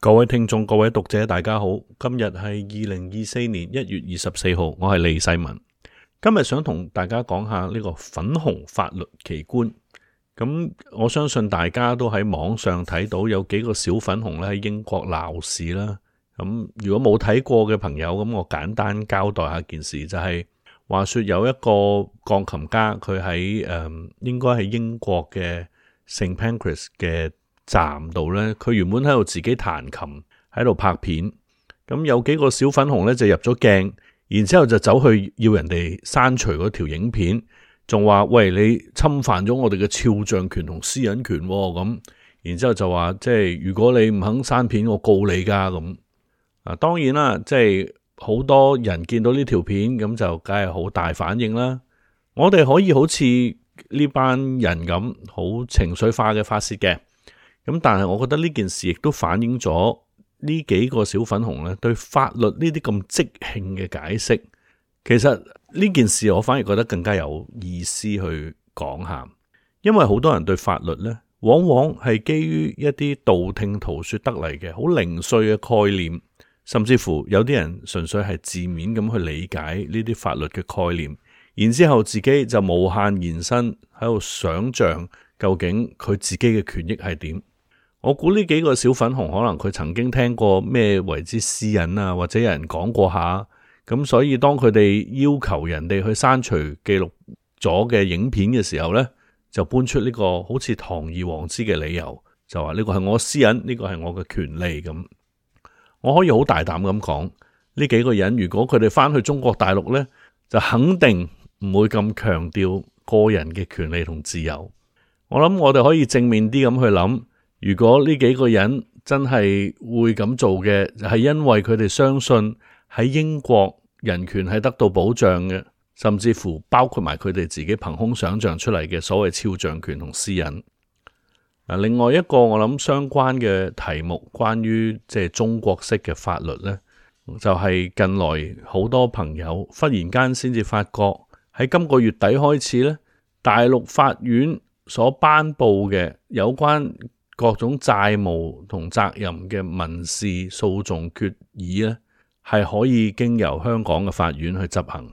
各位聽眾、各位讀者，大家好。今日係2024年1月24號，我係李世民。今日想同大家講下呢個粉紅法律奇觀。咁我相信大家都喺網上睇到有幾個小粉紅咧喺英國鬧事啦。咁如果冇睇過嘅朋友，咁我簡單交代下件事，就係話說有一個鋼琴家，佢喺應該係英國嘅聖 Pancras 嘅站度呢，佢原本喺度自己彈琴，喺度拍片。咁有幾個小粉紅呢就入咗鏡，然之後就走去要人哋刪除嗰條影片，仲話喂，你侵犯咗我哋嘅肖像權同私隱權咁。然之後就話即係如果你唔肯刪片，我告你噶咁。當然啦，即係好多人見到呢條片咁就梗係好大反應啦。我哋可以好似呢班人咁好情緒化嘅發洩嘅。咁但係我覺得呢件事亦都反映咗呢幾個小粉紅咧對法律呢啲咁即興嘅解釋。其實呢件事我反而覺得更加有意思去講下，因為好多人對法律呢往往係基於一啲道聽途說得嚟嘅好零碎嘅概念，甚至乎有啲人純粹係字面咁去理解呢啲法律嘅概念，然之後自己就無限延伸喺度想象究竟佢自己嘅權益係點。我估呢幾個小粉紅可能佢曾經聽過咩為之私隱啊，或者有人講過下，咁所以當佢哋要求人哋去刪除記錄咗嘅影片嘅時候呢，就搬出呢個好似堂而皇之嘅理由，就話呢個係我私隱，呢個係我嘅權利咁。我可以好大膽咁講，呢幾個人如果佢哋翻去中國大陸呢，就肯定唔會咁強調個人嘅權利同自由。我諗我哋可以正面啲咁去諗，如果呢幾個人真係會咁做嘅，係因為佢哋相信喺英國人權係得到保障嘅，甚至乎包括埋佢哋自己憑空想象出嚟嘅所謂肖像權同私隱。另外一個我諗相關嘅題目，關於即係中國式嘅法律呢，就係近來好多朋友忽然間先至發覺喺今個月底開始呢，大陸法院所頒布嘅有關各種債務同責任嘅民事訴訟決議呢，係可以經由香港嘅法院去執行。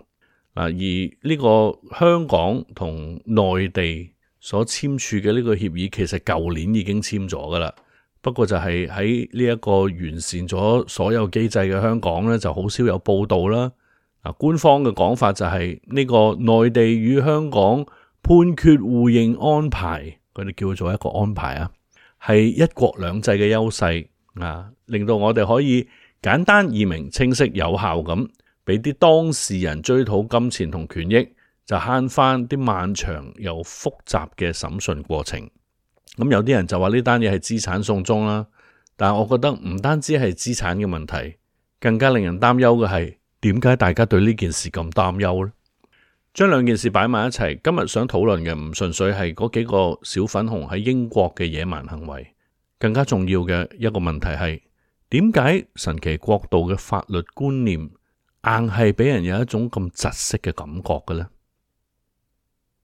而呢個香港同內地所簽署嘅呢個協議，其實舊年已經簽咗噶啦。不過就係喺呢一個完善咗所有機制嘅香港呢，就好少有報道啦。官方嘅講法就係呢個內地與香港判決互認安排，佢哋叫做一個安排啊，係一國兩制嘅優勢令到我哋可以簡單易明、清晰有效咁俾啲當事人追討金錢同權益，就慳翻啲漫長又複雜嘅審訊過程。咁有啲人就話呢單嘢係資產送中啦，但係我覺得唔單止係資產嘅問題，更加令人擔憂嘅係點解大家對呢件事咁擔憂呢？將兩件事擺埋一齊，今日想討論嘅唔純粹係嗰幾個小粉紅喺英國嘅野蠻行為，更加重要嘅一個問題係點解神奇國度嘅法律觀念硬係俾人有一種咁窒息嘅感覺嘅呢？